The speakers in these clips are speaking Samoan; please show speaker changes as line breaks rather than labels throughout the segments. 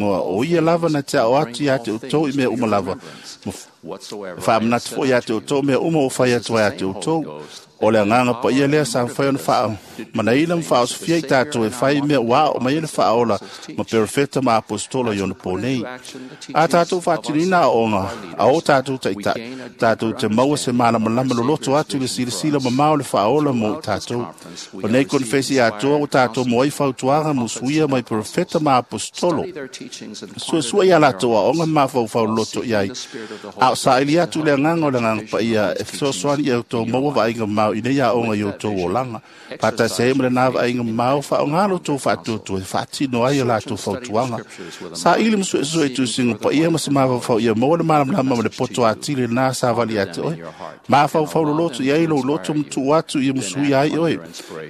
igoa, o ia lava na te ao atu ia te outou i mea uma lava, ma faamanatu foi ia te outou mea uma o fai atu ai ia te outou. O le agaga paia lea sa mafai ona faamanaina ma faaosofia i tatou e fai mea ua ao mai ai le faaola ma perofeta ma aposetolo i ona po nei. A tatou faatinoina aoaoga a o tatou taitai, tatou te maua se malamalama loloto atu i le silasila mamao o le faaola mo i tatou. O nei konefesi atoa ua tatou maua ai fautuaga ma usuia mai perofeta ma aposetolo. Suesue ia latou aoga ma mafaufau loloto i ai, a o saili atu le agaga o le agaga paia e fesoasoani ia outou maua vaaiga mamao. mamao i nei aoga i o outou olaga. Faatasi ai ma lena vaaiga mamao, faaaoga lo outou faatuatua e faatino ai o latou fautuaga. Saili ma suesue i tusiga paia ma se mafaufau ia maua le malamalama ma le poto atili lena savali ia te oe. Mafaufau loloto i ai lou loto ma tuu atu ia musuia ai oe,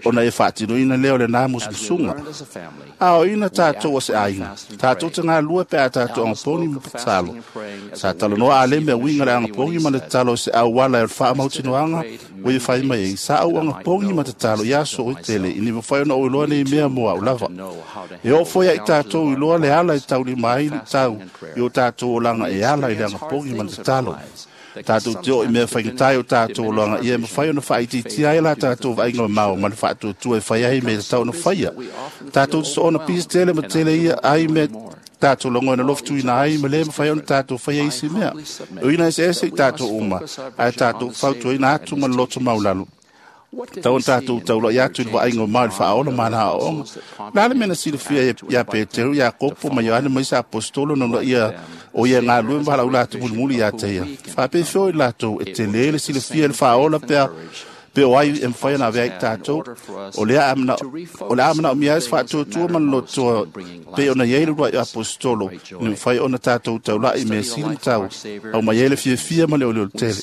ona e faatinoina lea o lena musumusuga. Aoaoina tatou o se aiga, tatou te galulue pe a tatou agapogi ma tatalo. Sa talanoa Alema e uiga le agapogi ma le tatalo o se auala e o le faamautinoaga ua ia fai mai ai. Sa ou agapogi ma tatalo i aso e tele, ina ia mafai ona ou iloa nei mea mo au lava. E oo foi ia i tatou iloa le ala e taulima ai luitau i o tatou olaga e ala i le agapogi ma le tatalo. Tatou te oo i mea faigata i o tatou olaga ia e mafai ona faaitiitia ai la tatou vaaiga mamao ma le faatuatua e fai ai mea e tatau ona faia. Tatou te soona pisi tele ma tele ia ai mea tatou lagona lofotuina ai ma le mafai ona tatou faia isi mea. E uiga eseese i tatou uma, ae tatou fautuaina atu ma le loto maualalo. Tau ona tatou taulai atu i le vaaiga mamao i le faaola ma ana aoaoga. O le a le mea na silafia ia Peteru, Iakopo ma Ioane ma isi aposetolo ona ia o ia galulue ma valaau atu mulimuli ia te ia. Faapefea i latou e tele le silafia i le faaola pe o ai e mafai ona avea ai tatou. O le a manaomia ai se faatuatua ma le lotoa pei ona i ai le uluai aposetolo, ina mafai ona tatou taulai i mea sili ma tau, aumai ai le fiafia ma le olioli tele.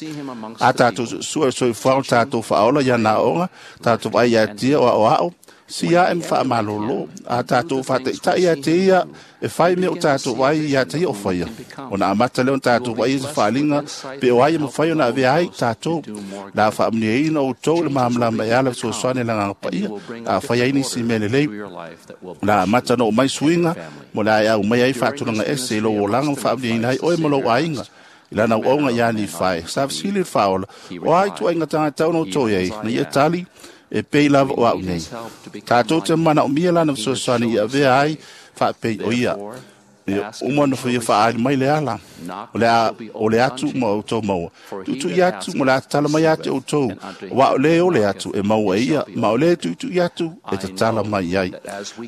A tatou suesue le soifuaga o tatou faaola i ana aoga, tatou vaai ia te ia o aoao, si ae ma faamalolo. A tatou faataitai ia te ia e fai mea o tatou vaai ia te ia o faia, ona amata lea ona tatou vaai i se faaaliga pe o ai e mafai ona avea ai tatou. La faamanuiaina outou i le malamalama e ala fesoasoani i le Agaga Paia, a fai ai nisi mea lelei. La amata ona oo mai suiga mo le a e aumai ai faatulaga ese i lou olaga ma faamanuiaina ai oe ma lou aiga i lana auauna ia Nifai. Sa fesili le faaola, o a ituaiga tagata ona outou i ai, na ia tali, e pei lava o au nei. Tatou te manaomia lana fesoasoani i avea ai faapei o ia. Ia uma ona ia faaali mai le ala, o le atu ma outou maua. Tuitui atu ma le a tatala mai ia te outou, aua o le o le atu e maua e ia, ma o le tuitui atu e tatala mai ai.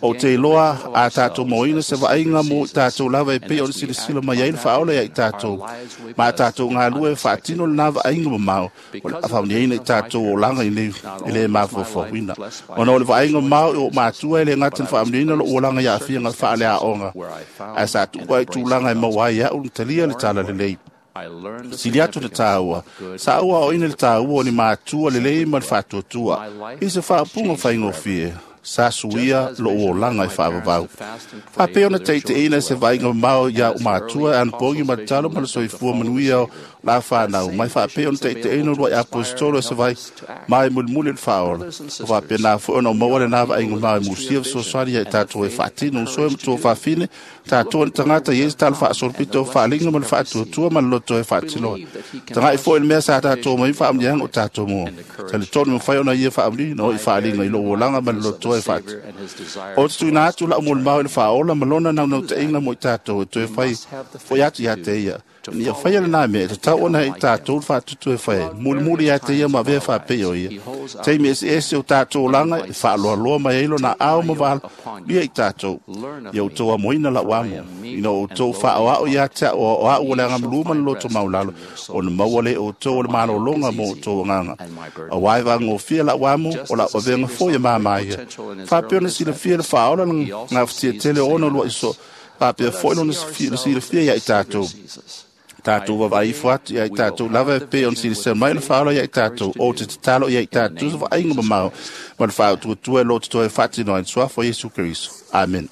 Ou te iloa a tatou mauaina se vaaiga mo i tatou lava e pei ona silasila mai ai le faaola ia i tatou, ma a tatou galulue e faatino lena vaaiga mamao, o le a faamanuiaina i tatou olaga i nei e le mafaufauina. Ona o le vaaiga mamao i o matua e le gata na faamanuiaina lou olaga i aafiaga faaleaoga, ae sa tuu ai tulaga e maua ai au na talia le tala lelei. Sili atu le tāua, sa ou aoaoina le tāua o ni matua lelei ma le faatuatua. I se faaupuga faigofie, sa suia lou olaga e faavavau. Faapea ona taitaiina se vaaiga mamao ia au matua e anapogi ma le talo ma le soifua manuia o la whanau. Mai faapea ona taitaiina uluai aposetolo e se vai mai mulimuli le faaola. O faapena foi ona o maua lena vaaiga mamao e musia fesoasoani ia i tatou e faatino uso e matua faafine, tatou ni tagata i e se tala faasolopito o faaaliga ma le faatuatua ma le loto e faatinoa. Tagai foi le mea sa tatou mai faamanuiaga o tatou mua. Talitonu mafai ona ia faamanuiaina o i faaaliga i lou olaga ma le loto e faati. O te tuuina atu lau molimau i le faaola ma lona naunautaiga mo i tatou e toe fai foi atu ia te ia. Ina ia faia lena mea, e tatau ona i tatou le faatutu e fai ai. Mulimuli ia te ia ma avea faapei o ia. Taimi eseese o tatou olaga e faaloaloa mai ai lona ao ma vala ia i tatou. Ia outou amoina lau amo. Ina outou faaoao ia te au o au o le agamalu ma le loto maulalo, ona maua le outou o le malologa mo outou agaga. Aua e vagofie lau amo, o lau avega foi e mama ia. Faapea ona silafia le faaola gafatia tele o ona luai so, faapea foi lona silafia ia i tatou. Tatou vavaai ifo atu ia i tatou lava e pei ona silasila mai le faaola ia i tatou, o te tatalo ia i tatou se vaaiga mamao ma le faatuatua e loto toe faatino ai le suafa o Iesu Keriso. Amen.